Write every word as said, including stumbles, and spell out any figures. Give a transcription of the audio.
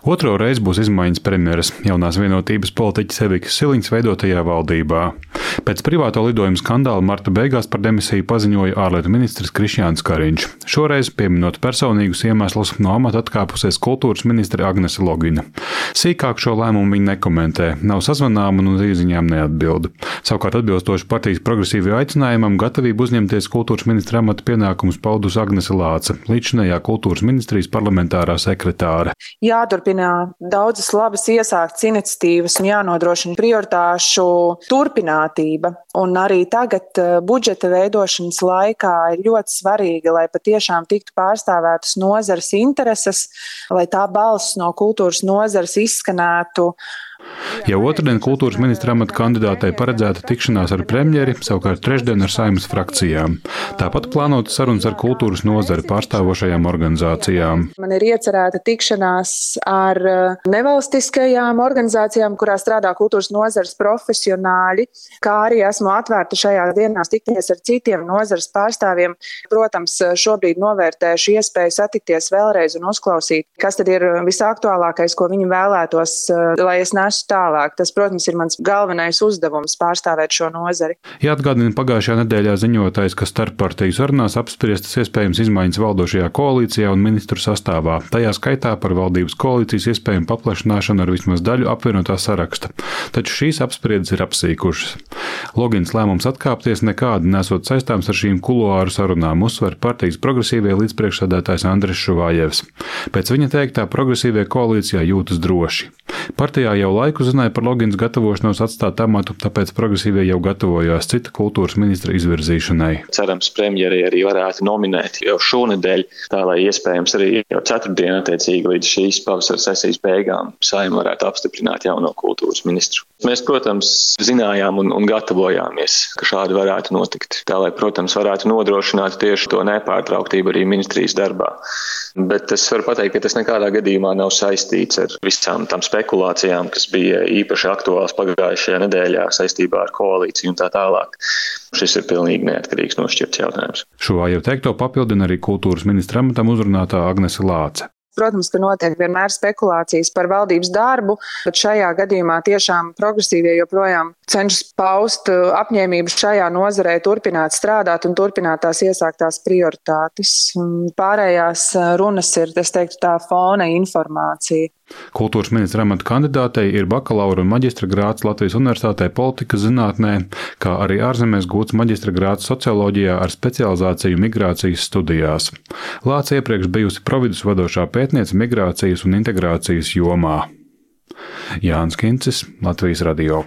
Otro reizi būs izmaiņas premjeras jaunās vienotības politiķes Evikas Siliņas veidotajā valdībā. Pēc privāto lidojumu skandāla marta beigās par demisiju paziņoja ārlietu ministrs Krišjāns Kariņš. Šoreiz, pieminot personīgus iemeslus, no amata atkāpusies kultūras ministre Agnese Logina. Sīkāk šo lēmumu viņa nekomentē, nav sazvanāma un uz īziņām neatbilda. Savukārt atbilstoši partijas progresīvajam aicinājumam gatavību uzņemties kultūras ministra amata pienākumus paudusi Agnese Lāce, līdzinējā kultūras ministrijas parlamentārā sekretāre. Jāturpina daudzas labas iesāktas iniciatīvas un jānodrošina prioritāšu turpinātība. Un arī tagad budžeta veidošanas laikā ir ļoti svarīgi, lai patiešām tiktu pārstāvētas nozares intereses, lai tā balss no kultūras nozares izskanētu. Jau otrdien kultūras ministra amata kandidātei paredzēta tikšanās ar premjeri, savukārt trešdien ar Saeimas frakcijām. Tāpat plānota sarunas ar kultūras nozari pārstāvošajām organizācijām. Man ir iecerēta tikšanās ar nevalstiskajām organizācijām, kurā strādā kultūras nozares profesionāļi, kā arī esmu atvērta šajās dienās tikties ar citiem nozares pārstāvjiem. Protams, šobrīd novērtēšu iespēju satikties vēlreiz un uzklausīt, kas tad ir visaktuālākais, ko viņi vēlētos, lai es nesu tālāk. Tas, protams, ir mans galvenais uzdevums pārstāvēt šo nozari. Jāatgādina pagājušajā nedēļā ziņotais, ka starppartiju sarunās apspriestas iespējams izmaiņas valdošajā koalīcijā un ministru sastāvā. Tajā skaitā par valdības koalīcijas iespējamu paplašināšanu ar vismaz daļu apvienotā saraksta. Taču šīs apspriedes ir apsīkušas. Logins lēmums atkāpties nekādi nesot saistāms ar šīm kuloāru sarunām, uzsver partijas progresīvie līdzpriekšsēdētājs Andris Šuvājevs. Pēc viņa teiktā progresīvie koalīcijā jūtas droši. Partijā jau laiku zināja par Logins gatavošanos atstāt amatu, tāpēc progresīvie jau gatavojās cita kultūras ministra izvirzīšanai. Cerams, premjeri arī varētu nominēt jau šonedēļ, tā lai iespējams arī jau ceturtdien attiecīgi līdz šīs pavasara sesijas beigām Saeima varētu apstiprināt jauno kultūras ministru. Mēs, protams, zinājām un, un gatavojāmies, ka šādi varētu notikt. Tā lai, protams, varētu nodrošināt tieši to nepārtrauktību arī ministrijas darbā. Bet es varu pateikt, ka tas nekādā gadījumā nav saistīts ar visām tām spekulācijām, kas bija īpaši aktuāls pagājušajā nedēļā saistībā ar koalīciju un tā tālāk. Šis ir pilnīgi neatkarīgs nošķirts jautājums. Šuvājeva teikto papildina arī kultūras ministra amatam uzrunātā Agnese Lāce. Protams, ka notiek vienmēr spekulācijas par valdības darbu, bet šajā gadījumā tiešām progresīvie joprojām cenšas paust apņēmību šajā nozarē turpināt strādāt un turpināt tās iesāktās prioritātes. Pārējās runas ir, es teiktu, tā fona informācija. Kultūras ministra amata kandidātei ir bakalaura un maģistra grāds Latvijas Universitātē politikas zinātnē, kā arī ārzemēs gūts maģistra grāds socioloģijā ar specializāciju migrācijas studijās. Lāce iepriekš bijusi providus vadošā pētniece migrācijas un integrācijas jomā. Jānis Kincis, Latvijas radio.